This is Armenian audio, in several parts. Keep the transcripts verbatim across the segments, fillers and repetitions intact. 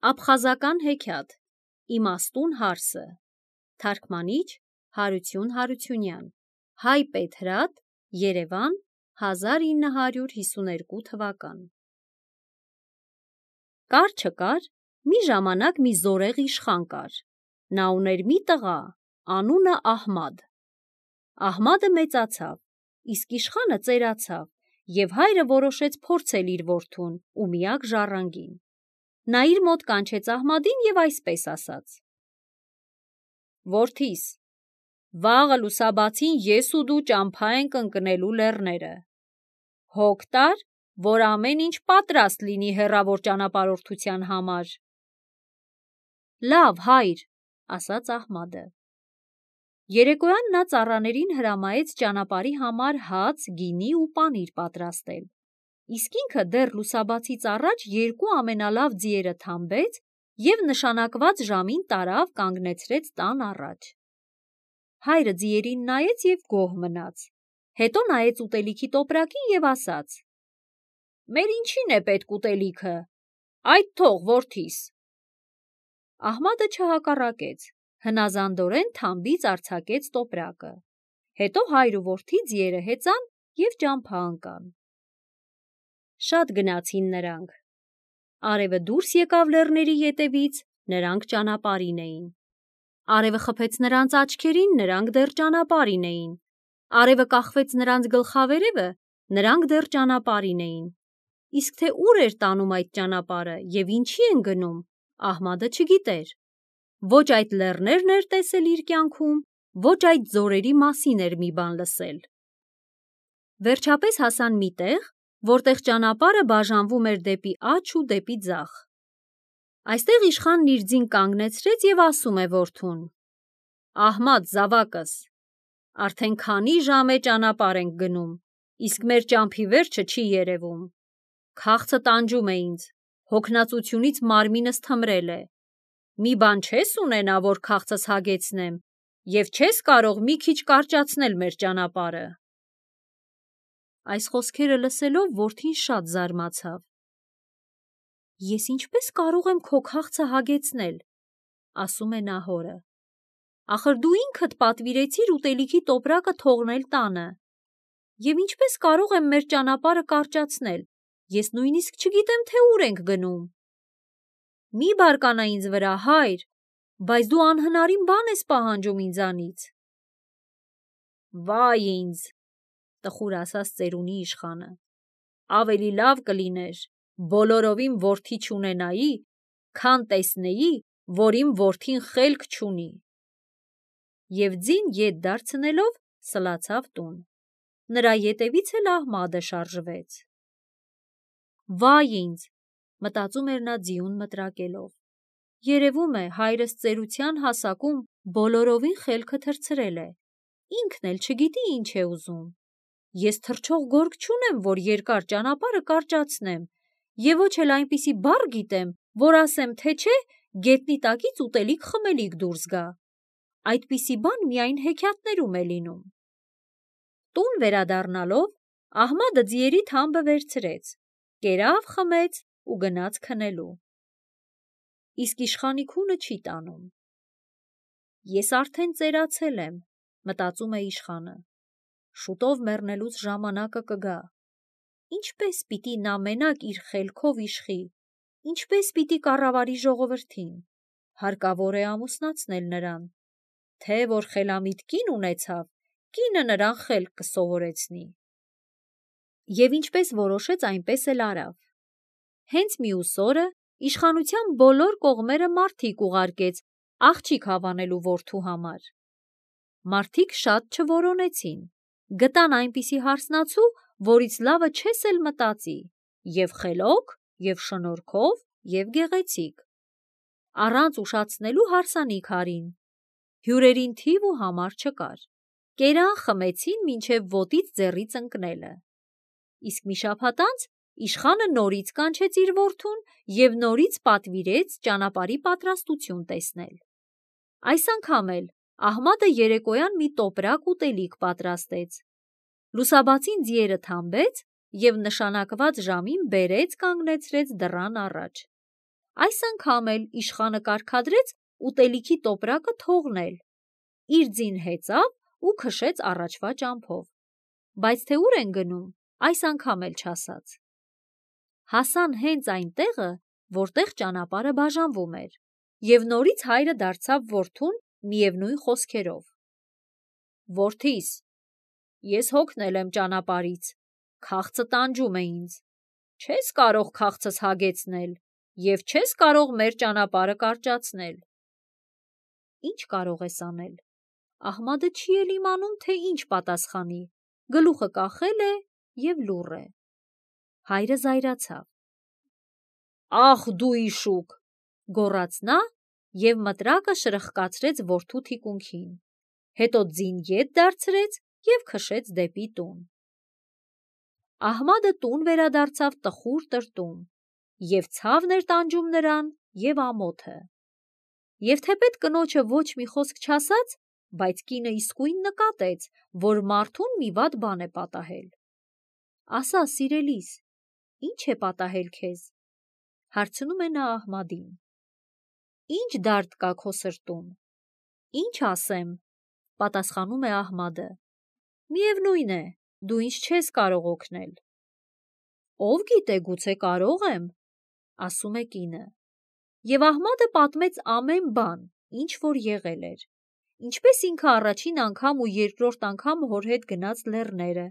Աբխազական հեքիաթ, իմաստուն հարսը, թարգմանիչ Հարություն Հարությունյան, Հայ Պետրատ, Երևան, հազար ինը հարյուր հիսուներկու թվական։ Կար չկար, մի ժամանակ մի զորեղ իշխան կար, նա ուներ մի տղա, անունը Ահմադ։ Ահմադը մեծացավ, իսկ իշխանը ծերացավ, և հայրը որոշեց փորձել իր որդուն ու միակ ժառանգին։ Նա իր մոտ կանչեց Ահմադին և այսպես ասաց. «Որդիս, վաղը լուսաբացին ես ու դու ճամփա ենք ընկնելու լեռները։ Հոգ տար, որ ամեն ինչ պատրաստ լինի հեռավոր ճանապարհորդության համար»։ «Լավ, հայր», ասաց Ահմադը։ Երեկոյան նա ծառաներին հրամայեց ճանապարհի համար հաց, գինի ու պանիր պատրաստել, իսկ ինքը դեռ լուսաբացից առաջ երկու ամենալավ ձիերը թամբեց և նշանակված ժամին տարավ կանգնեցրեց տան առաջ։ Հայրը ձիերին նայեց և գոհ մնաց, հետո նայեց ուտելիքի տոպրակին և ասաց. «Մեր ինչին է պետք ուտելիքը, այդ թող, որդիս»։ Ահմադը չհակառակեց, հնազանդորեն թամբից արձակեց տոպրակը, հետո հայր ու որդի ձիերը հեծան և ճամփա ընկան։ Շատ գնացին նրանք։ Արևը դուրս եկավ լեռների ետևից, նրանք ճանապարհին էին։ Արևը խփեց նրանց աչքերին, նրանք դեռ ճանապարհին էին։ Արևը կախվեց նրանց գլխավերևը, նրանք դեռ ճանապարհին էին։ Իսկ թե ուր էր տանում այդ ճանապարհը և ինչի են գնում, Ահմադը չգիտեր։ Ոչ այդ լեռներն էր տեսել իր կյանքում, ոչ այդ ձորերի մասին էր մի բան լսել։ Վերջապես հասան մի տեղ, որտեղ ճանապարհը բաժանվում էր դեպի աջ ու դեպի ձախ։ Այստեղ իշխանն իր ձին կանգնեցրեց և ասում է որդուն. «Ահմադ, զավակս, արդեն քանի ժամ է ճանապարհ ենք գնում, իսկ մեր ճամփի վերջը չի երևում։ Քաղցը տանջում է ինձ, հոգնածությունից մարմինս թմրել է։ Մի բան չես ունենա, որ քաղցս հագեցնեմ, և չես կարող մի քիչ կարճացնել մեր ճանապարհը»։ Այս խոսքերը լսելով որդին շատ զարմացավ։ «Ես ինչպես կարող եմ քո քաղցը հագեցնել», ասում է նա հորը։ «Ախր դու ինքդ պատվիրեցիր ուտելիքի տոպրակը թողնել տանը։ Եվ ինչպես կարող եմ մեր ճանապարհը կարճացնել, ես նույնիսկ չգիտեմ, թե ուր ենք գնում։ Մի բարկանա ինձ վրա, հայր, բայց դու անհնարին բան ես պահանջում ինձանից»։ «Վայ ինձ», տխուր ասաց ծերունի իշխանը, «ավելի լավ կլիներ բոլորովին որդի չունենայի, քան տեսնեի, որ իմ որդին խելք չունի»։ Եվ ձին ետ դարձնելով սլացավ տուն։ Նրա ետևից էլ Ահմադը շարժվեց։ «Վայ ինձ», մտածում էր նա ձիուն մտրակելով, «երևում է, հայրս ծերության հասակում բոլորովին խելքը թռցրել է, ինքն էլ չգիտի ինչ է ուզում։ Ես թռչող գորգ չունեմ, որ երկար ճանապարհը կարճացնեմ, և ոչ էլ այնպիսի բառ գիտեմ, որ ասեմ, թե չէ գետնի տակից ուտելիք խմելիք դուրս գա։ Այդպիսի բան միայն հեքիաթներում է լինում»։ Տուն վերադառնալով Ահմադը ձիերի թամբը վերցրեց, կերավ, խմեց ու գնաց քնելու։ Իսկ իշխանի քունը չի տանում։ «Ես արդեն ծերացել եմ», մտածում է իշխանը, «շուտով մեռնելուց ժամանակը կգա։ Ինչպե՞ս պիտի նա մենակ իր խելքով իշխի, ինչպե՞ս պիտի կառավարի ժողովրդին։ Հարկավոր է ամուսնացնել նրան, թե որ խելամիտ կին ունեցավ, կինը նրան խելք կսովորեցնի»։ Եվ ինչպես որոշեց, այնպես էլ արավ։ Հենց մյուս օրը իշխանության բոլոր կողմերը մարդիկ ուղարկեց աղջիկ հավանելու որդու համար։ Մարդիկ շատ չորոնեցին, գտան այնպիսի հարսնացու, որից լավը չես էլ մտածի, և խելոք, և շնորհքով, և գեղեցիկ։ Առանց ուշացնելու հարսանիք արին։ Հյուրերին թիվ ու համար չկար։ Կերան, խմեցին մինչև ոտից ձեռից ընկնելը։ Իսկ մի շաբաթ անց իշխանը նորից կանչեց իր որդուն և նորից պատվիրեց ճանապարհի պատրաստություն տեսնել։ Այս անգամ էլ Ահմադը երեկոյան մի տոպրակ ուտելիք պատրաստեց։ Լուսաբացին ձիերը թամբեց և նշանակված ժամին բերեց կանգնեցրեց դռան առաջ։ Այս անգամ էլ իշխանը կարգադրեց ուտելիքի տոպրակը թողնել, իր ձին հեծավ ու քշեց առաջվա ճամփով, բայց թե ուր են գնում, այս անգամ էլ չասաց։ Հասան հենց այն տեղը, որտեղ ճանապարհը բաժանվում էր, և նորից հայրը դարձավ որդուն միևնույն խոսքերով. «Որդիս, ես հոգնել եմ ճանապարհից, քաղցը տանջում է ինձ, չես կարող քաղցս հագեցնել և չես կարող մեր ճանապարհը կարճացնել»։ Ինչ կարող ես անել։ Ահմադը չի էլ իմանում, թե ինչ պատասխանի, գլուխը կախել է և լուռ է։ Հայրը զայրացավ։ «Ախ դու իշուկ», գոռաց նա և մտրակը շրխկացրեց որդու թիկունքին, հետո ձին ետ դարձրեց և քշեց դեպի տուն։ Ահմադը տուն վերադարձավ տխուր տրտում, և ցավն էր տանջում նրան և ամոթը։ Եվ թեպետ կնոջը ոչ մի խոսք չասաց, բայց կինը իսկույն նկատեց, որ մարդուն մի վատ բան է պատահել։ «Ասա, սիրելիս, ի՞նչ է պատահել քեզ», հարցնում է նա Ահմադին։ «Ի՞նչ դարդ կա քո սրտում»։ «Ինչ ասեմ», պատասխանում է Ահմադը։ «Միևնույն է, դու ինձ չես կարող օգնել»։ «Ով գիտե, գուցե կարող եմ», ասում է կինը։ Եվ Ահմադը պատմեց ամեն բան, ինչ որ եղել էր, ինչպես ինքը առաջին անգամ ու երկրորդ անգամ հոր հետ գնաց լեռները,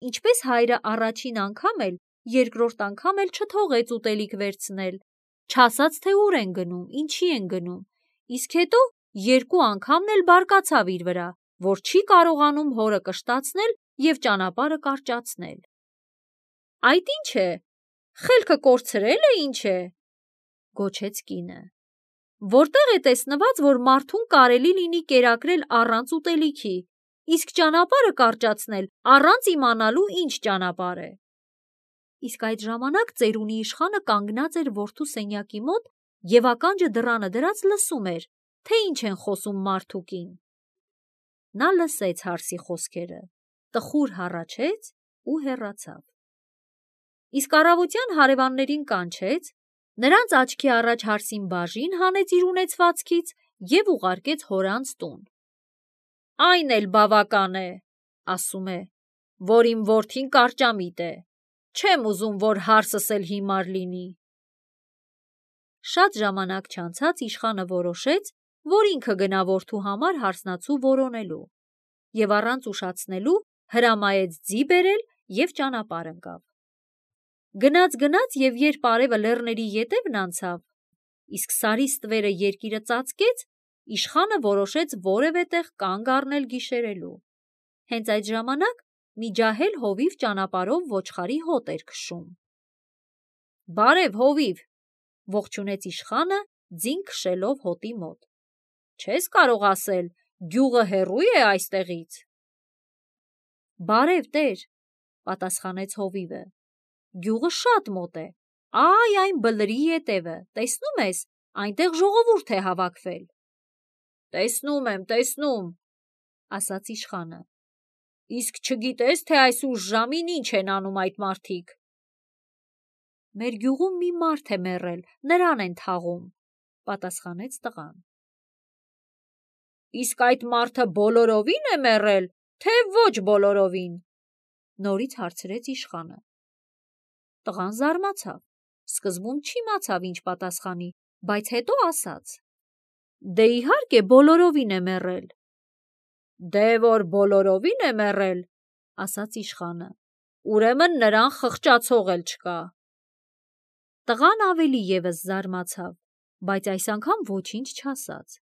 ինչպես հայրը առաջին անգամ էլ, երկրորդ անգամ էլ չթողեց ուտելիք վերցնել, չասաց, թե ուր են գնում, ինչի են գնում, իսկ հետո երկու անգամն էլ բարկացավ իր վրա, որ չի կարողանում հորը կշտացնել և ճանապարհը կարճացնել։ «Այդ ի՞նչ է, խելքը կորցրել է, ինչ է», գոչեց կինը։ «Որտե՞ղ է տեսնված, որ մարդուն կարելի լինի կերակրել առանց ուտելիքի, իսկ ճանապարհը կարճացնել առանց իմանալու ինչ ճանապարհ է»։ Իսկ այդ ժամանակ ծերունի իշխանը կանգնած էր որդու սենյակի մոտ և ականջը դռանը դրած լսում էր, թե ինչ են խոսում մարդ ու կին։ Նա լսեց հարսի խոսքերը, տխուր հառաչեց ու հեռացավ։ Իսկ առավոտյան հարևաններին կանչեց, նրանց աչքի առաջ հարսին բաժին հանեց իր ունեցվածքից և ուղարկեց հորանց տուն։ «Այն էլ բավական է, ասում է, որ իմ որդին կարճամիտ է, չեմ ուզում, որ հարսս էլ հիմար լինի»։ Շատ ժամանակ չանցած իշխանը որոշեց, որ ինքը գնա որդու համար հարսնացու որոնելու, և առանց ուշացնելու հրամայեց ձի բերել և ճանապարհ ընկավ։ Գնաց-գնաց և երբ արևը լեռների ետևն անցավ, իսկ սարի ստվերը երկիրը ծածկեց, իշխանը որոշեց որևէ տեղ կանգ առնել գիշերելու։ Հենց այդ ժամանակ մի ջահել հովիվ ճանապարհով ոչխարի հոտ էր քշում։ «Բարև, հովիվ», ողջունեց իշխանը, ձին քշելով հոտի մոտ։ «Չես կարող ասել, գյուղը հեռու՞ է այստեղից»։ «Բարև, տեր», պատասխանեց հովիվը, «գյուղը շատ մոտ է, այ այն բլրի ետևը, տեսնու՞մ ես, այնտեղ ժողովուրդ է հավաքվել»։ «Տեսնում եմ, տեսնում», ասաց իշխանը։ «Իսկ չգիտես, թե այս ուշ ժամին ինչ են անում այդ մարդիկ»։ «Մեր գյուղում մի մարդ է մեռել, նրան են թաղում», պատասխանեց տղան։ «Իսկ այդ մարդը բոլորովի՞ն է մեռել, թե ոչ բոլորովին», նորից հարցրեց իշխանը։ Տղան զարմացավ, սկզբում չիմացավ ինչ պատասխանի, բայց հետո ասաց. «Դե իհարկե բոլորովին է մեռել»։ «Դե որ բոլորովին է մեռել, ասաց իշխանը, ուրեմն նրան խղճացող էլ չկա»։ Տղան ավելի ևս զարմացավ, բայց այս անգամ ոչինչ չասաց,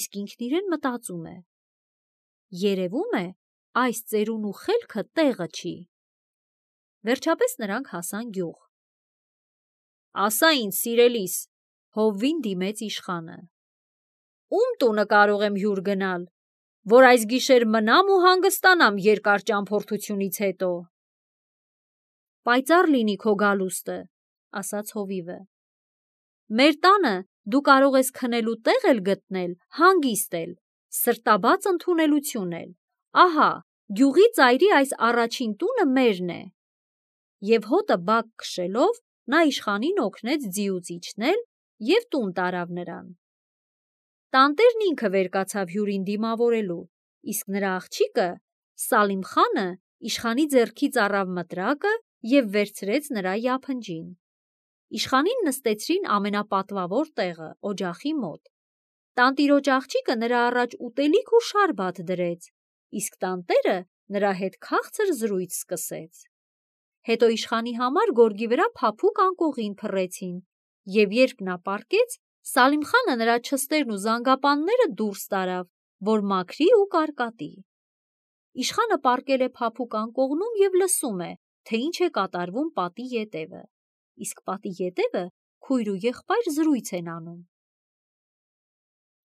իսկ ինքն իրեն մտածում է. երևում է, այս ծերունու խելքը տեղը չի։ Վերջապես նրանք հասան գյուղ։ «Ասա ինձ, սիրելիս», հովվին դիմեց իշխանը, «ում տունը կարող եմ հյուր գնալ, որ այս գիշեր մնամ ու հանգստանամ երկար ճամփորդությունից հետո»։ «Պայծառ լինի քո գալուստը», ասաց հովիվը։ «Մեր տանը դու կարող ես քնելու տեղ էլ գտնել, հանգիստ էլ, սրտաբաց ընդունելություն էլ, ահա, գյուղի ծայրի այս առաջին տունը մերն է»։ Եվ հոտը բակ քշելով նա իշխանին օգնեց ձիուց իջնել և տուն տարավ նրան։ Տանտերն ինքը վեր կացավ հյուրին դիմավորելու, իսկ նրա աղջիկը Սալիմ խանը իշխանի ձեռքից առավ մտրակը և վերցրեց նրա յափնջին։ Իշխանին նստեցրին ամենապատվավոր տեղը, օջախի մոտ։ Տանտիրոջ աղջիկը նրա առաջ ուտելիք ու շարբաթ դրեց, իսկ տանտերը նրա հետ քաղցր զրույց սկսեց։ Հետո իշխանի համար գորգի վրա փափուկ անկողին փռեցին, և երբ նա պառկեց, Սալիմ խանը նրա չստերն ու զանգապանները դուրս տարավ, որ մաքրի ու կարկատի։ Իշխանը պառկել է փափուկ անկողնում և լսում է, թե ինչ է կատարվում պատի ետևը, իսկ պատի ետևը քույր ու եղբայր զրույց են անում։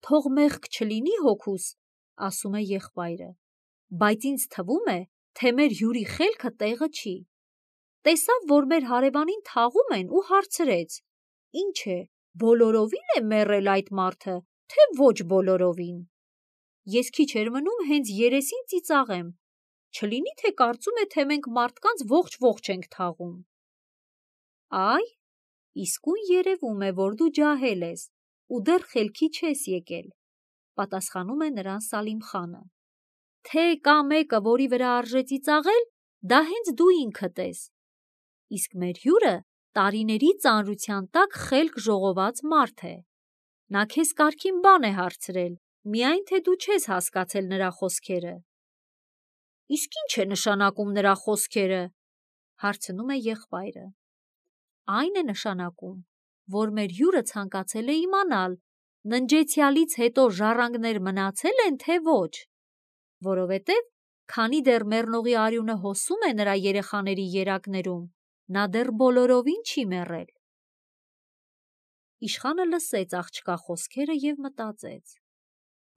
«Թող մեղք չլինի հոգուս, – ասում է եղբայրը, – բայց ինձ թվում է, թե մեր հյուրի խելքը տեղը չի։ Տեսավ, որ մեր հարևանին թաղում են ու հարցրեց. «Ինչ է, բոլորովի՞ն է մեռել այդ մարդը, թե ոչ բոլորովին»։ Ես քիչ էր մնում հենց երեսին ծիծաղեմ, չլինի թե կարծում է, թե մենք մարդկանց ողջ-ողջ ենք թաղում»։ Այ, իսկույն երևում է, որ դու ջահել ես ու դեռ խելքի չես եկել, – պատասխանում է նրան Սալիմ խանը։ Թե կա մեկը, որի վրա արժե ծիծաղել, դա հենց դու ինքդ ես։ Իսկ մեր հյուրը տարիների ծանրության տակ խելք ժողոված մարդ է։ Նա քեզ կարգին բան է հարցրել, միայն թե դու չես հասկացել նրա խոսքերը։ Իսկ ի՞նչ է նշանակում նրա խոսքերը, – հարցնում է եղբայրը։ Այն է նշանակում, որ մեր հյուրը ցանկացել է իմանալ, ննջեցյալից հետո ժառանգներ մնացել են, թե ոչ, որովհետև քանի դեռ մեռնողի արյունը հոսում է նրա երեխաների երակներում, նա դեռ բոլորովին չի մեռել։ Իշխանը լսեց աղջկա խոսքերը և մտածեց.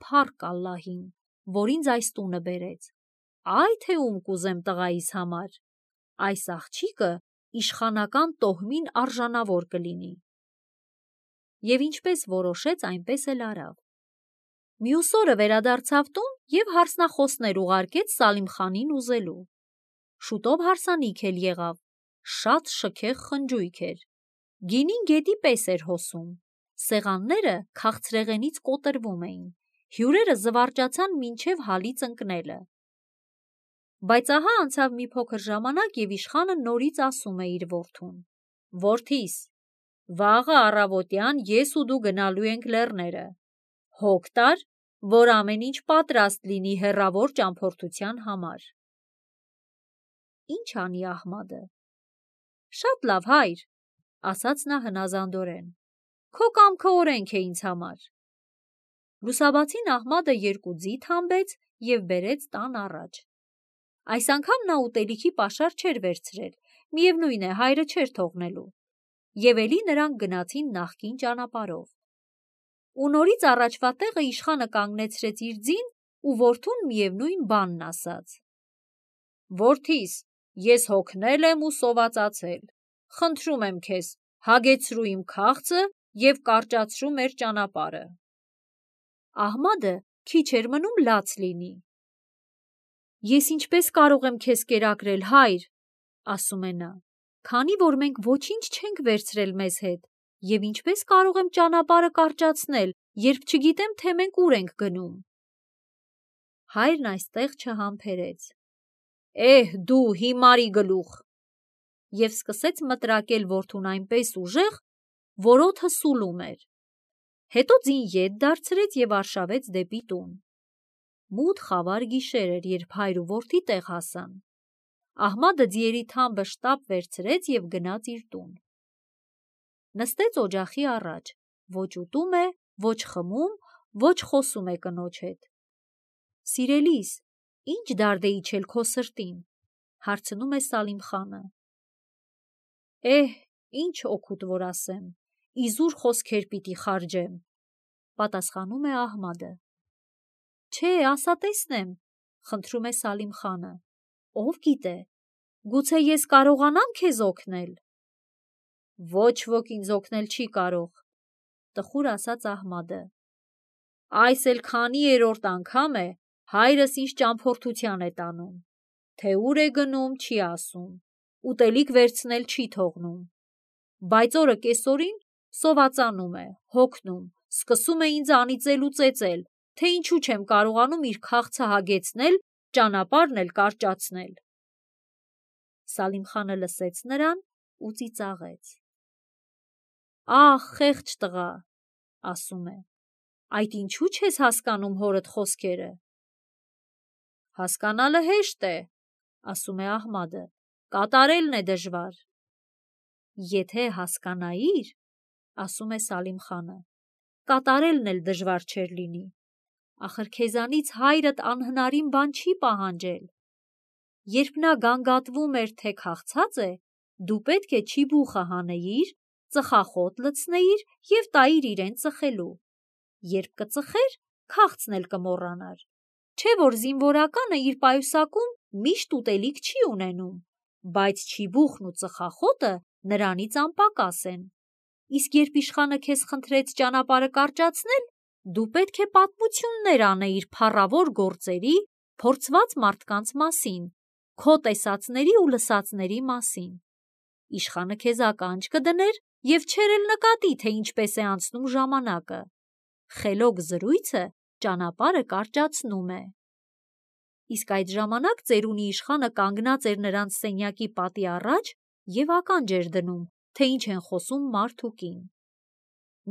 «Փառք Ալլահին, որ ինձ այս տունը բերեց, այ թե ում կուզեմ տղայիս համար, այս աղջիկը իշխանական տոհմին արժանավոր կլինի»։ Եվ ինչպես որոշեց, այնպես էլ արավ։ Մյուս օրը վերադարձավ տուն և հարսնախոսներ ուղարկեց Սալիմ խանին ուզելու։ Շուտով հարսանիք էլ եղավ, շատ շքեղ խնջույք էր, գինին գետի պես էր հոսում, սեղանները քաղցրեղենից կոտրվում էին, հյուրերը զվարճացան մինչև հալից ընկնելը։ Բայց ահա անցավ մի փոքր ժամանակ, և իշխանը նորից ասում է իր որդուն. «Որդիս, վաղը առավոտյան ես ու դու գնալու ենք լեռները, հոգ տար, որ ամեն ինչ պատրաստ լինի հեռավոր ճամփորդության համար»։ Ի՞նչ անի Ահմադը։ Շատ լավ, հայր, – ասաց նա հնազանդորեն, – քո կամքը օրենք է ինձ համար։ Լուսաբացին Ահմադը երկու ձիթ հանբեց և բերեց տան առաջ։ Այս անգամ նա ուտելիքի պաշար չէր վերցրել, միևնույն է, հայրը չէր թողնելու, և էլի նրանք գնացին նախկին ճանապարհով։ Ու նորից առաջվա տեղը իշխանը կանգնեցրեց իր ձին ու որդուն միևնույն բանն ասաց. «Որդիս, ես հոգնել եմ ու սովածացել, խնդրում եմ քեզ, հագեցրու իմ քաղցը և կարճացրու մեր ճանապարհը»։ Ահմադը քիչ էր մնում լաց լինի։ «Ես ինչպես կարող եմ քեզ կերակրել, հայր, – ասում է նա, – քանի որ մենք ոչինչ չենք վերցրել մեզ հետ, և ինչպես կարող եմ ճանապարհը կարճացնել, երբ չգիտեմ, թե մենք ուր ենք գնում»։ Հայրն այստեղ չհամբերեց. «Էհ, դու հիմարի գլուխ», և սկսեց մտրակել որդուն այնպես ուժեղ, որ օդը սուլում էր։ Հետո ձին ետ դարձրեց և արշավեց դեպի տուն։ Մութ խավար գիշեր էր, երբ հայր ու որդի տեղ հասան։ Ահմադը ձիերի թամբը շտապ վերցրեց և գնաց իր տուն։ Նստեց օջախի առաջ, ոչ ուտում է, ոչ խմում, ոչ խոսում է կնոջ հետ։ Սիրելիս, ի՞նչ դարդ է իջել քո սրտին, – հարցնում է Սալիմ խանը։ Էհ, ինչ օգուտ որ ասեմ, իզուր խոսքեր պիտի խարჯեմ, – պատասխանում է Ահմադը։ Չէ, ասա տեսնեմ, – խնդրում է Սալիմ խանը, – ով գիտե, գուցե ես կարողանամ քեզ օգնել։ Ոչ ոք ինձ օգնել չի կարող, – տխուր ասաց Ահմադը։ Այս էլ քանիերորդ անգամ է հայրս ինձ ճամփորդության է տանում, թե ուր է գնում, չի ասում, ուտելիք վերցնել չի թողնում, բայց օրը կեսօրին Սովածանում է, հոգնում, սկսում է ինձ անիծել ու ծեծել, թե ինչու չեմ կարողանում իր քաղցը հագեցնել, ճանապարհն էլ կարճացնել։ Սալիմխանը լսեց նրան ու ծիծաղեց։ Ահ, խեղճ տղա, ասում է, այդ ինչու չես հասկանում հորդ խոսքերը։ Հասկանալը հեշտ է, ասում է Ահմադը, կատարելն է դժվար։ Եթե հասկանայիր, ասում է Սալիմխանը, կատարելն էլ դժվար չէր լինի, ախր քեզանից հայրդ անհնարին բան չի պահանջել։ Երբ նա գանգատվում էր, թե քաղցած է, դու պետք է չիբուխը հանեիր, ծխախոտ լցնեիր և տայիր իրեն ծխելու։ Երբ կծխեր, քաղցն էլ կմոռանար։ Չէ որ զինվորականը իր պայուսակում միշտ ուտելիք չի ունենում, բայց չիբուխն ու ծխախոտը նրանից անպակաս են։ Իսկ երբ իշխանը քեզ խնդրեց ճանապարհը կարճացնել, դու պետք է պատմություններ անեիր փառավոր գործերի, փորձված մարդկանց մասին, քո տեսածների ու լսածների մասին։ Իշխանը քեզ ականջ կդներ և չէր էլ նկատի, թե ինչպես է անցնում ժամանակը։ Խելոք զրույցը ճանապարհը կարճացնում է։ Իսկ այդ ժամանակ ծերունի իշխանը կանգնած էր նրանց սենյակի պատի առաջ և ականջ էր դնում, թե ինչ են խոսում մարդ ու կին։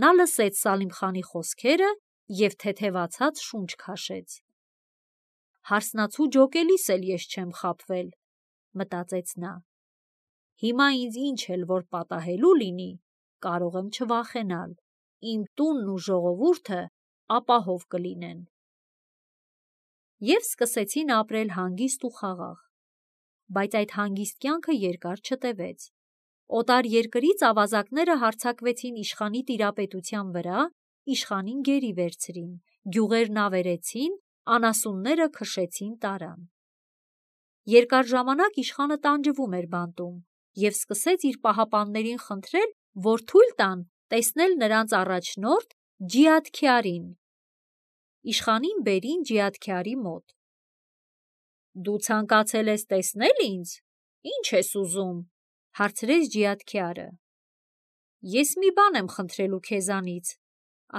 Նա լսեց Սալիմխանի խոսքերը և թեթևացած շունչ քաշեց։ Հարսնացու ջոկելիս էլ ես չեմ խաբվել, մտածեց նա։ Հիմա ինձ ինչ էլ որ պատահելու լինի, կարող եմ չվախենալ, իմ տունն ու ժողովուրդը ապահով կլինեն։ Եվ սկսեցին ապրել հանգիստ ու խաղաղ։ Բայց այդ հանգիստ կյանքը երկար չտևեց։ Օտար երկրից ավազակները հարձակվեցին իշխանի տիրապետության վրա, իշխանին գերի վերցրին, գյուղերն ավերեցին, անասունները քշեցին տարան։ Երկար ժամանակ իշխանը տանջվում էր բանտում և սկսեց իր պահապաններին խնդրել, որ թույլ տան տեսնել նրանց առաջնորդ Ջիաթքյարին։ Իշխանին բերին Ջիաթքյարի մոտ։ Դու ցանկացել ես տեսնել ինձ, ի՞նչ ես ուզում, հարցրեց Ջիաթքյարը։ Ես մի բան եմ խնդրելու քեզանից,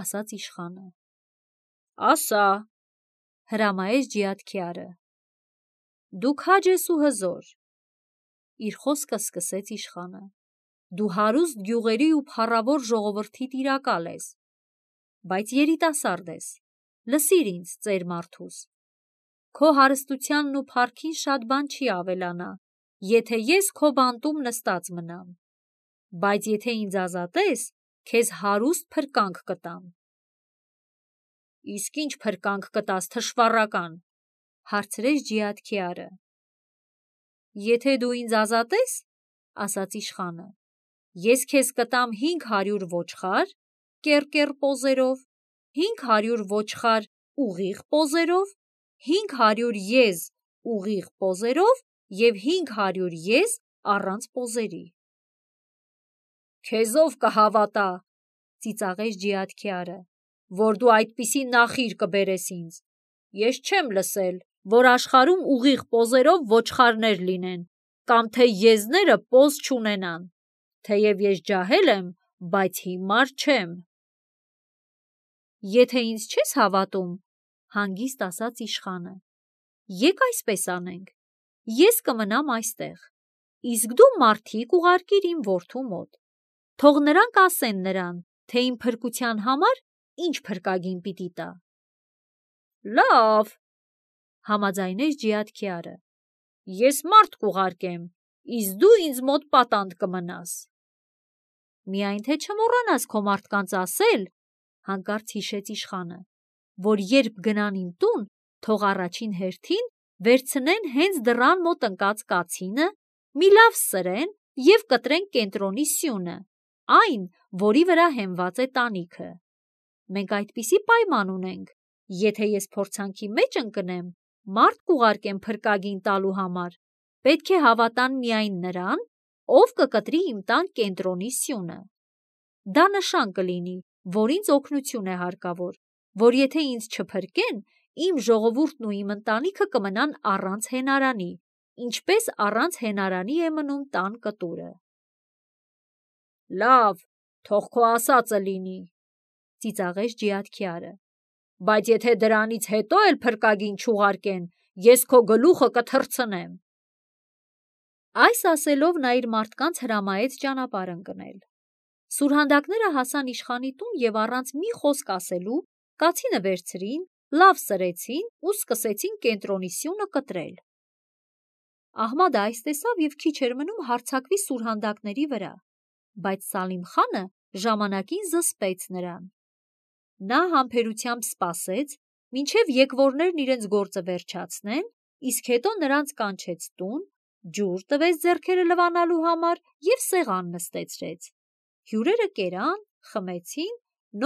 ասաց իշխանը։ Ասա, հրամայեց Ջիաթքյարը։ Դու քաջ ես ու հզոր։ Իր խոսքը սկսեց իշխանը։ Դու հարուստ գյուղերի ու փառավոր ժողովրդի տիրակալ ես, բայց երիտասարդ ես, լսիր ինձ, ծեր մարդուս։ Քո հարստությանն ու փառքին շատ բան չի ավելանա, եթե ես քո բանտում նստած մնամ, բայց եթե ինձ ազատես, քեզ հարուստ փրկանք կտամ։ Իսկ ինչ փրկանք կտաս, թշվառական, հարցրեց Ջիաթքյարը։ Եթե դու ինձ ազատես, ասաց իշխանը, ես քեզ կտամ հինգ հարյուր ոչխար, կեռ-կեռ պոզերով, հինգ հարյուր ոչխար ուղիղ պոզերով, հինգ հարյուր եզ ուղիղ պոզերով և հինգ հարյուր եզ առանց պոզերի։ Քեզով կհավատա, ծիծաղեց Ջիաթքյարը, որ դու այդպիսի նախիր կբերես ինձ։ Ես չեմ լսել, որ աշխարհում ուղիղ պոզերով ոչխարներ լինեն, կամ թե եզները պոզ չունենան։ Թեև ես ջահել եմ, բայց հիմար չեմ։ Եթե ինձ չես հավատում, հանգիստ ասաց իշխանը, եկ այսպես անենք, ես կմնամ այստեղ, իսկ դու մարդիկ ուղարկիր իմ որդու մոտ, թող նրանք ասեն նրան, թե իմ փրկության համար ինչ փրկագին պիտի տա։ Լավ, համաձայնեց Ջիաթքյարը, ես մարդ կուղարկեմ, իսկ դու ինձ մոտ պատանդ կմնաս։ Միայն թե չմոռանաս քո մարդկանց ասել, հանկարծ հիշեց իշխանը, որ երբ գնան իմ տուն, թող առաջին հերթին վերցնեն հենց դռան մոտ ընկած կացինը, մի լավ սրեն և կտրեն կենտրոնի սյունը, այն, որի վրա հենված է տանիքը։ Մենք այդպիսի պայման ունենք, եթե ես փորձանքի մեջ ընկնեմ, մարդ կուղարկեմ փրկագին տալու համար, պետք է հավատան միայն նրան, ով կկտրի իմ տան կենտրոնի սյունը։ Դա նշան կլինի, որ ինձ օգնություն է հարկավոր, որ եթե ինձ չփրկեն, իմ ժողովուրդն ու իմ ընտանիքը կմնան առանց հենարանի, ինչպես առանց հենարանի է մնում տան կտուրը։ Լավ, Թող քո ասածը լինի, ծիծաղեց ջիաթքյարը, բայց եթե դրանից հետո էլ փրկագին չուղարկեն, ես քո գլուխը կթռցնեմ։ Այս ասելով նա իր մարդկանց հրամայեց ճանապարհ ընկնել։ Սուրհանդակները հասան իշխանի տուն և առանց մի խոսք ասելու կացինը վերցրին, լավ սրեցին ու սկսեցին կենտրոնի սյունը կտրել։ Ահմադը այս տեսավ և քիչ էր մնում հարձակվի սուրհանդակների վրա, բայց Սալիմ խանը ժամանակին զսպեց նրան։ Նա համբերությամբ սպասեց, մինչև եկվորներն իրենց գործը վերջացնեն, իսկ հետո նրանց կանչեց տուն, ջուր տվեց ձեռքերը լվանալու համար և սեղան նստեցրեց։ Հյուրերը կերան, խմեցին,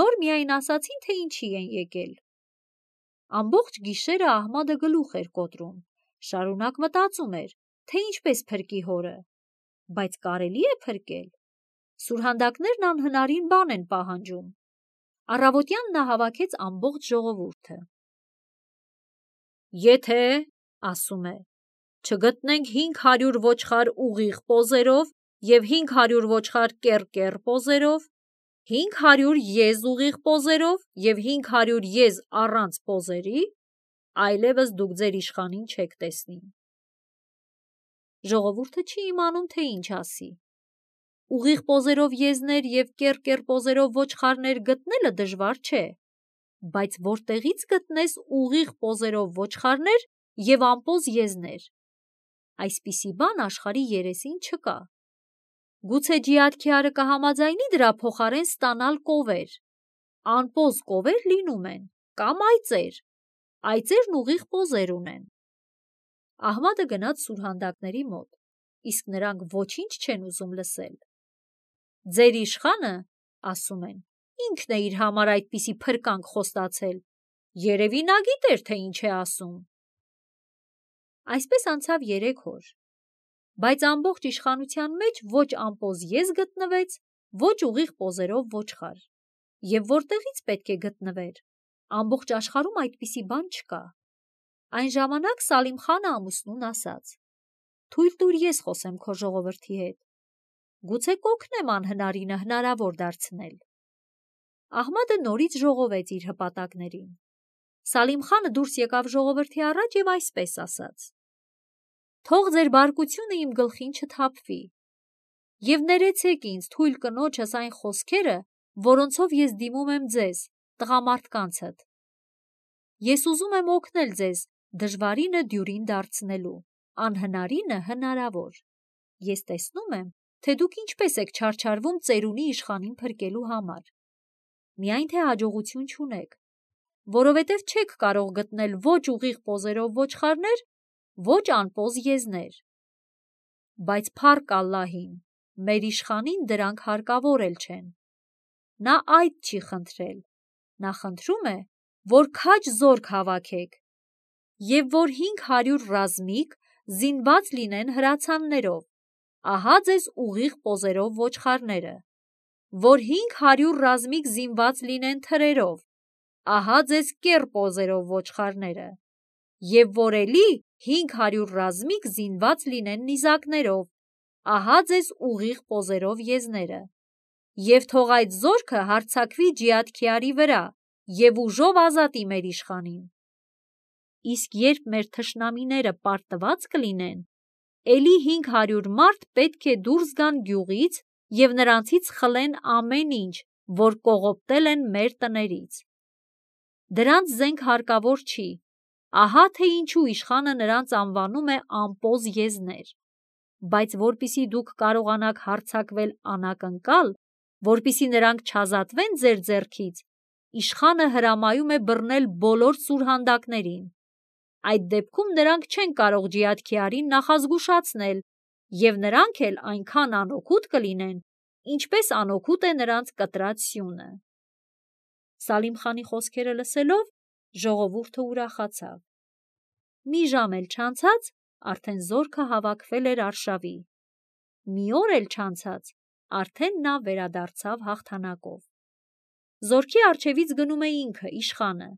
նոր միայն ասացին, թե ինչի են եկել։ Ամբողջ գիշերը Ահմադը գլուխ էր կոտրում, շարունակ մտածում էր, թե ինչպես փրկի հորը, բայց կարելի է փրկել։ Սուրհանդակներն անհնարին բան են պահանջում։ Առավոտյան նա հավաքեց ամբողջ ժողովուրդը։ Եթե, ասում է, չգտնենք հինգ հարյուր ոչխար ուղիղ պոզերով և հինգ հարյուր ոչխար կեռ-կեռ պոզերով, հինգ հարյուր եզ ուղիղ պոզերով և հինգ հարյուր եզ առանց պոզերի, այլևս դուք ձեր իշխանին չեք տեսնի։ Ժողովուրդը չի իմանում, թե ինչ ասի։ Ուղիղ պոզերով եզներ և կեռ-կեռ պոզերով ոչխարներ գտնելը դժվար չէ, բայց որտեղից գտնես ուղիղ պոզերով ոչխարներ և անպոզ եզներ։ Այսպիսի բան աշխարհի երեսին չկա։ Գուցե ջիաթքյարը կհամաձայնի դրա փոխարեն ստանալ կովեր։ Անպոզ կովեր լինում են, կամ այծեր։ Այծերն ուղիղ պոզեր ունեն։ Ահմադը գնաց սուրհանդակների մոտ, իսկ նրանք ոչինչ չեն ուզում լսել։ Ձեր իշխանը, ասում են, ինքն է իր համար այդպիսի փրկանք խոստացել, երևի նա գիտեր, թե ինչ է ասում։ Այսպես անցավ երեք օր, բայց ամբողջ իշխանության մեջ ոչ անպոզ եզ գտնվեց, ոչ ուղիղ պոզերով ոչխար։ Եվ որտեղից պետք է գտնվեր, ամբողջ աշխարհում այդպիսի բան չկա։ Այն ժամանակ Սալիմ խանը ամուսնուն ասաց. «Թույլ տուր ես խոսեմ քո ժողովրդի հետ, գուցե կօգնեմ անհնարինը հնարավոր դարձնել»։ Ահմադը նորից ժողովեց իր հպատակներին։ Սալիմ խանը դուրս եկավ ժողովրդի առաջ և այսպես ասաց. «Թող ձեր բարկությունը իմ գլխին չթափվի, և ներեցեք ինձ թույլ կնոջս այն խոսքերը, որոնցով ես դիմում եմ ձեզ, տղամարդկանցդ։ Ես ուզում եմ օգնել ձեզ դժվարինը դյուրին դարձնելու, անհնարինը հնարավոր։ Ես տեսնում եմ, թե դուք ինչպես եք չարչարվում ծերունի իշխանին փրկելու համար։ Միայն թե հաջողություն չունեք, որովհետև չեք կարող գտնել ոչ ուղիղ պոզերով ոչխարներ, ոչ անպոզ եզներ։ Բայց փառք Ալլահին, մեր իշխանին դրանք հարկավոր էլ չեն։ Նա այդ չի խնդրել, նա խնդրում է, որ քաջ զորք հավաքեք և որ հինգ հարյուր ռազմիկ զինված լինեն հրացաններով, ահա ձեզ ուղիղ պոզերով ոչխարները, որ հինգ հարյուր ռազմիկ զինված լինեն թրերով, ահա ձեզ կեռ պոզերով ոչխարները, և որ էլի հինգ հարյուր ռազմիկ զինված լինեն նիզակներով, ահա ձեզ ուղիղ պոզերով եզները, և թող այդ զորքը հարձակվի ջիաթքյարի վրա և ուժով ազատի մեր իշխանին։ Իսկ երբ մեր թշնամիները պարտված կլինեն, էլի հինգ հարյուր մարդ պետք է դուրս գան գյուղից և նրանցից խլեն ամեն ինչ, որ կողոպտել են մեր տներից։ Դրանց զենք հարկավոր չի, ահա թե ինչու իշխանը նրանց անվանում է անպոզ եզներ։ Բայց որպեսզի դուք կարողանաք հարձակվել անակնկալ, որպեսզի նրանք չազատվեն ձեր ձեռքից, իշխանը հրամայում է բռնել բոլոր սուրհանդակներին։ Այդ դեպքում նրանք չեն կարող ջիաթքյարին նախազգուշացնել, և նրանք էլ այնքան անօգուտ կլինեն, ինչպես անօգուտ է նրանց կտրած սյունը։ Սալիմ խանի խոսքերը լսելով ժողովուրդը ուրախացավ։ Մի ժամ էլ չանցած, արդեն զորքը հավաքվել էր արշավի։ Մի օր էլ չանցած, արդեն նա վերադարձավ հաղթանակով։ Զորքի առջևից գնում է ինքը, իշխանը,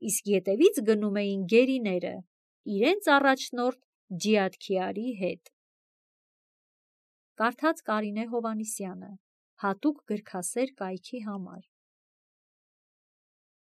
իսկ ետևից գնում էին գերիները, իրենց առաջնորդ ջիաթքյարի հետ։ Կարդաց Կարինե Հովհաննիսյանը, հատուկ գրքասեր կայքի համար։